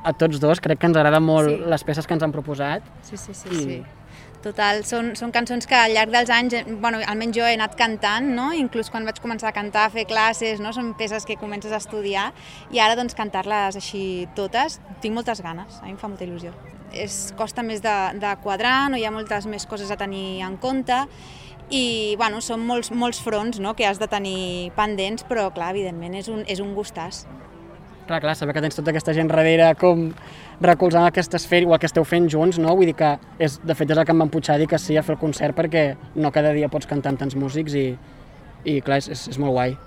a tots dos, crec que ens agraden molt Sí. les peces que ens han proposat. Sí. Total, són cançons que al llarg dels anys, almenys jo he anat cantant, no? Inclús quan vaig començar a cantar, a fer classes, no? Són peces que comences a estudiar i ara doncs cantar-les així totes, tinc moltes ganes, a mi em fa molta il·lusió. Costa més de quadrar, no hi ha moltes més coses a tenir en compte i són molts fronts, no? Que has de tenir pendents, però clar, evidentment és un gustàs. Clar, saber que tens tota aquesta gent darrere com recolzant el que estàs fent o el que esteu fent junts, no? Vull dir que, de fet, és el que em va empujar a dir que sí a fer el concert perquè no cada dia pots cantar amb tants músics i clar, és molt guai.